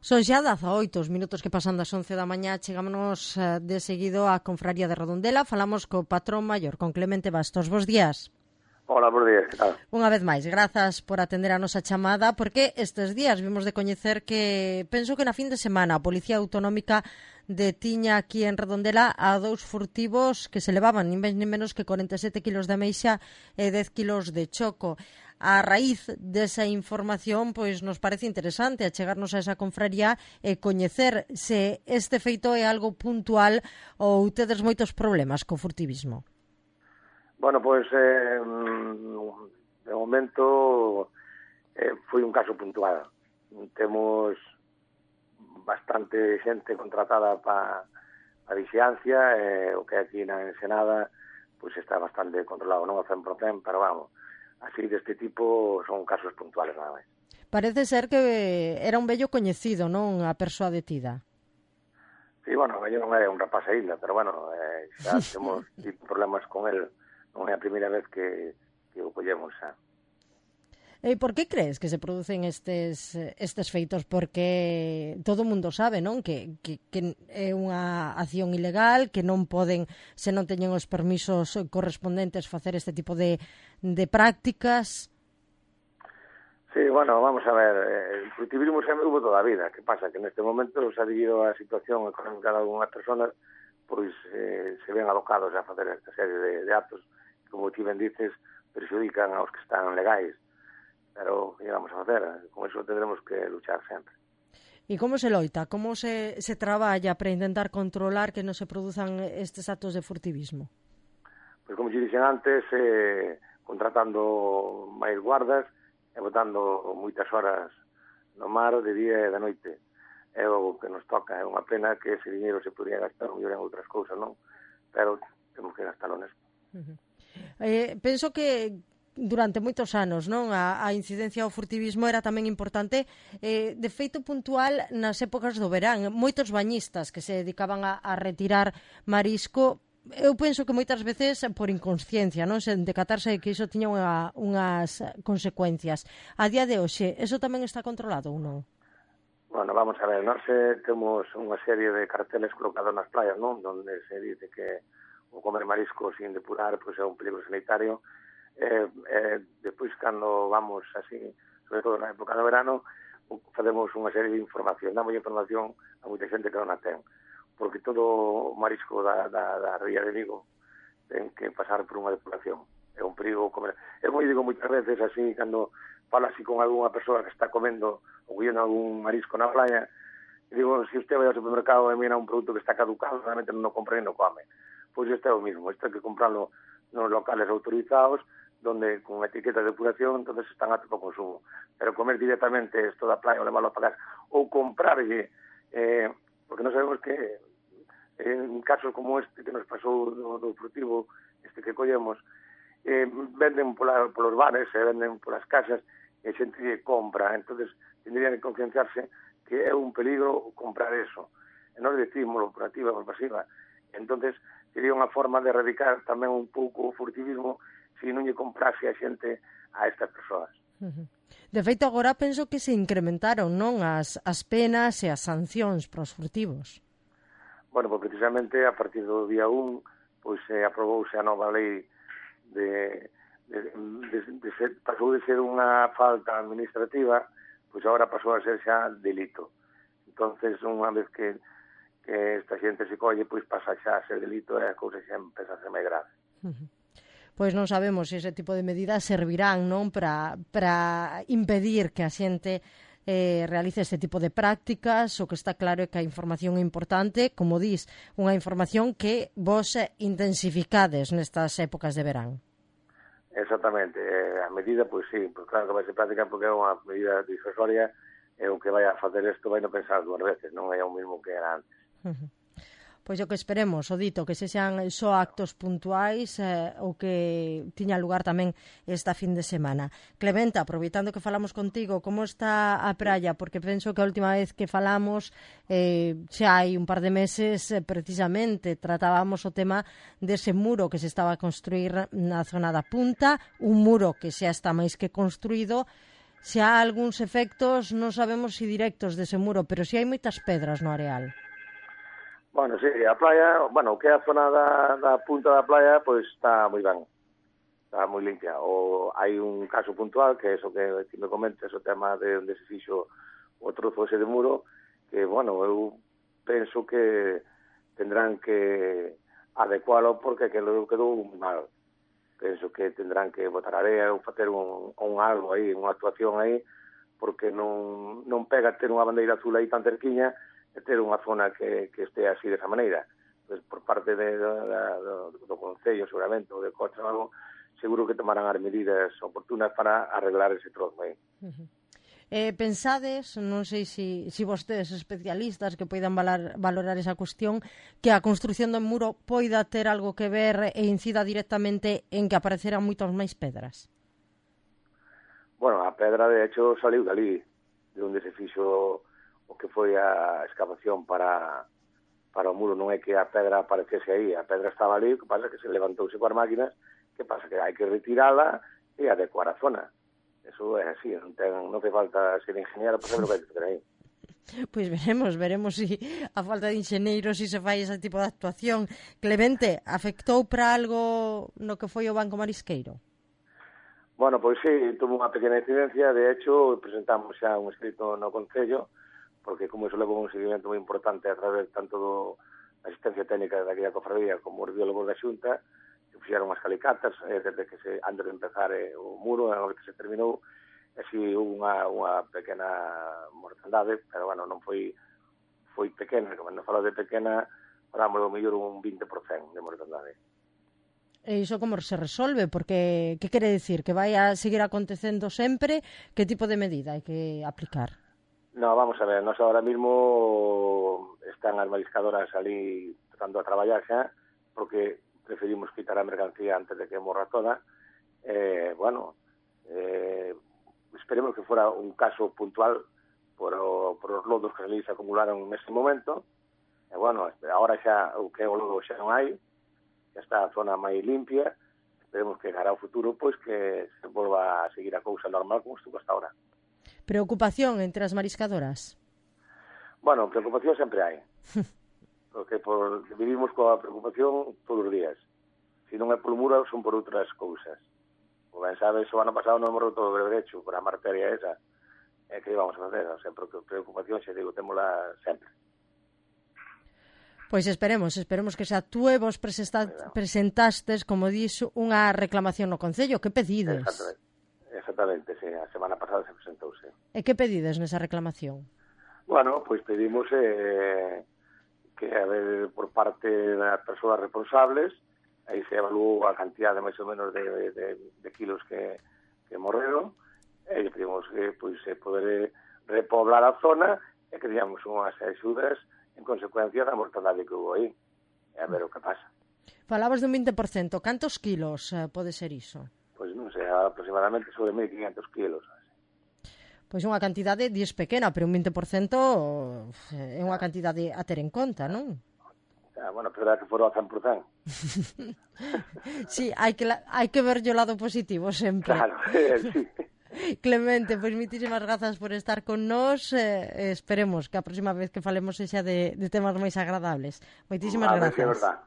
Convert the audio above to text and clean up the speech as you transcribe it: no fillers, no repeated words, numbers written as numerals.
Son xa 18 os minutos que pasan das 11 da mañá. Chegámonos de seguido á Confraría de Redondela. Falamos co patrón maior, con Clemente Bastos. Bos días. Hola, bos días, que tal? Unha vez máis, grazas por atender a nosa chamada, porque estes días vimos de coñecer que, penso que na fin de semana, a Policía Autonómica detiña aquí en Redondela a 2 furtivos que se levaban nin máis nin menos que 47 kilos de ameixa e 10 kilos de choco. A raíz desa información, pois nos parece interesante achegarnos a esa confraría e coñecer se este feito é algo puntual ou tedes moitos problemas co furtivismo. Bueno, pois, de momento, foi un caso puntual. Temos bastante xente contratada para a vixiancia, o que aquí na Ensenada pois está bastante controlado, non ao 100%, pero vamos, así deste tipo son casos puntuales nada máis. Parece ser que era un vello coñecido, non, a persoa detida? Sí, bueno, eu non é un rapaz aínda, pero bueno, xa temos problemas con el. Non é a primeira vez que o collemos xa. E por que crees que se producen estes feitos? Porque todo o mundo sabe, non? Que é unha acción ilegal, que non poden, se non teñen os permisos correspondentes, facer este tipo de prácticas. Sí, bueno, vamos a ver, el furtivismo sempre hubo toda a vida. Que pasa? Que neste momento, xa debido á situación económica de algunhas personas, pois se ven abocados a facer esta serie de actos, como ti ben dices, perxudican aos que están legais. Pero, que vamos a facer? Con eso tendremos que luchar sempre. E como se loita? Como se traballa para intentar controlar que non se produzan estes actos de furtivismo? Pois como te dixen antes, contratando máis guardas e botando moitas horas no mar de día e de noite. É o que nos toca. É unha pena que ese dinheiro se podría gastar mellor en outras cousas, non? Pero temos que gastalo nesto. Penso que durante moitos anos, non, a incidencia ao furtivismo era tamén importante, de feito puntual nas épocas do verán. Moitos bañistas que se dedicaban a retirar marisco, eu penso que moitas veces por inconsciencia, non, sen decatarse que iso tiña unhas consecuencias. A día de hoxe, eso tamén está controlado ou non? Bueno, vamos a ver, nós temos unha serie de carteles colocados nas playas, non, donde se dice que o comer marisco sin depurar pois é un peligro sanitario. Despois, cando vamos así, sobre todo na época do verano, facemos unha serie de información, damos información a moita xente que non a ten, porque todo o marisco da ría de Vigo ten que pasar por unha depuración. É un perigo comer. Eu digo moitas veces así, cando falo así con algunha persoa que está comendo ou collendo algún marisco na playa, e digo, se usted vai ao supermercado e mira un produto que está caducado, realmente non o compra e non come. Pois este é o mismo, este hai que comprarlo nos locales autorizados, donde con etiqueta de depuración, entonces están aptos para o consumo. Pero comer directamente esto da playa ou levarlo a pagar, ou comprarlle, porque non sabemos que en casos como este que nos pasou do furtivo, este que collemos, venden polos bares, venden polas casas, e xente que compra, entonces tendrían que concienciarse que é un peligro comprar eso. E non decimos por activa ou por pasiva. Entonces sería unha forma de erradicar tamén un pouco o furtivismo se non lle comprase a xente a estas persoas. De feito, agora penso que se incrementaron, non, as penas e as sancións para os furtivos. Bueno, pois precisamente a partir do día 1 pois aprobouse a nova lei pasou de ser unha falta administrativa, pois agora pasou a ser xa delito. Entonces, unha vez que esta xente se colle, pois pasa xa a ser delito e a cousa xa empeza a ser máis grave. Pois non sabemos se ese tipo de medidas servirán, non, para impedir que a xente realice este tipo de prácticas. O que está claro é que a información é importante, como dis, unha información que vos intensificades nestas épocas de verán. Exactamente, a medida, pois sí, pois claro que vai ser práctica porque é unha medida disuasoria e o que vai a facer isto vai non pensar dúas veces, non é o mismo que era antes. Pois o que esperemos, o dito, que se sean só actos puntuais ou que tiña lugar tamén esta fin de semana. Clemente, aproveitando que falamos contigo, como está a praia? Porque penso que a última vez que falamos xa hai un par de meses precisamente tratábamos o tema dese muro que se estaba a construir na zona da Punta, un muro que xa está máis que construído. se há algúns efectos, non sabemos se directos dese muro, pero si hai moitas pedras no areal. Bueno, sí, a playa, bueno, que é a zona da punta da playa, pois está moi ben, está moi limpia. O hai un caso puntual, que é eso que ti me comentes, o tema de onde se fixo o trozo ese de muro, que, bueno, eu penso que tendrán que adecualo porque quedou mal. Penso que tendrán que botar area ou facer un algo aí, unha actuación aí, porque non pega ter unha bandeira azul aí tan cerquiña e ter unha zona que este así desa maneira. Pues, por parte do Concello, seguramente, ou de Cocha ou algo, seguro que tomarán as medidas oportunas para arreglar ese trozo aí. Pensades, non sei se vostedes especialistas que poidan valorar esa cuestión, que a construción do muro poida ter algo que ver e incida directamente en que apareceran moitas máis pedras? Bueno, a pedra, de hecho, saliu dali, de onde se fixo o que foi a excavación para o muro. Non é que a pedra aparecese aí, a pedra estaba ali, o que pasa é que se levantouse coas máquinas, que pasa que hai que retirala e adecuar a zona. Eso é así, non te falta ser ingeniero para saber o que hai que fazer aí. Pois veremos se a falta de enxeneiros se fai ese tipo de actuación. Clemente, afectou para algo no que foi o Banco Marisqueiro? Bueno, pois sí, tuvo unha pequena incidencia. De hecho, presentamos xa un escrito no Concello, porque como iso levou un seguimento moi importante a través tanto da asistencia técnica da cofradía como os biólogos da Xunta, que fixeron as calicatas desde que antes de empezar o muro, agora que se terminou, e si unha pequena mortandade, pero bueno, non foi pequena, como non falo de pequena, falamos do mellor un 20% de mortandade. E iso como se resolve? Porque, que quere dicir? Que vai a seguir acontecendo sempre? Que tipo de medida hai que aplicar? No, vamos a ver, nós ahora mismo están as mariscadoras ali tratando a traballar xa, porque preferimos quitar a mercancía antes de que morra toda. Bueno, esperemos que fora un caso puntual por os lodos que se acumularon neste momento. E bueno, agora xa o que é o lodo xa non hai, xa está a zona máis limpia. Esperemos que cara ao futuro pois que se volva a seguir a cousa normal como estuvo hasta ahora. Preocupación entre as mariscadoras? Bueno, preocupación sempre hai. Porque vivimos coa preocupación todos os días. Se non é por muro, son por outras cousas. Como ben sabes, o ano pasado non morreu todo o berberecho por a arteria esa. E que íbamos a facer? O sea, preocupación, xa digo, témola sempre. Pois esperemos que se actúe. Vos presentastes, como dixo, unha reclamación no Concello. Que pedides? Exactamente, sí. A semana pasada se presentouse. E que pedides nesa reclamación? Bueno, pois pedimos que a ver por parte das persoas responsables, aí se evaluou a cantidade máis ou menos de kilos que morreron, e pedimos que pois, se poder repoblar a zona e que digamos unhas axudas en consecuencia da mortandade que hubo aí. E a ver o que pasa. Falabas dun 20%. Cantos kilos pode ser iso? Pois non sei, aproximadamente sobre 1.500 kilos. Pois unha cantidade dies pequena, pero un 20% é unha cantidade a ter en conta, non? Bueno, pero que fora o 100%. Sí, hai que ver o lado positivo sempre. Claro, sí. Clemente, pois moitísimas grazas por estar con nós. Esperemos que a próxima vez que falemos sexa de temas máis agradables. Moitísimas grazas. É verdad.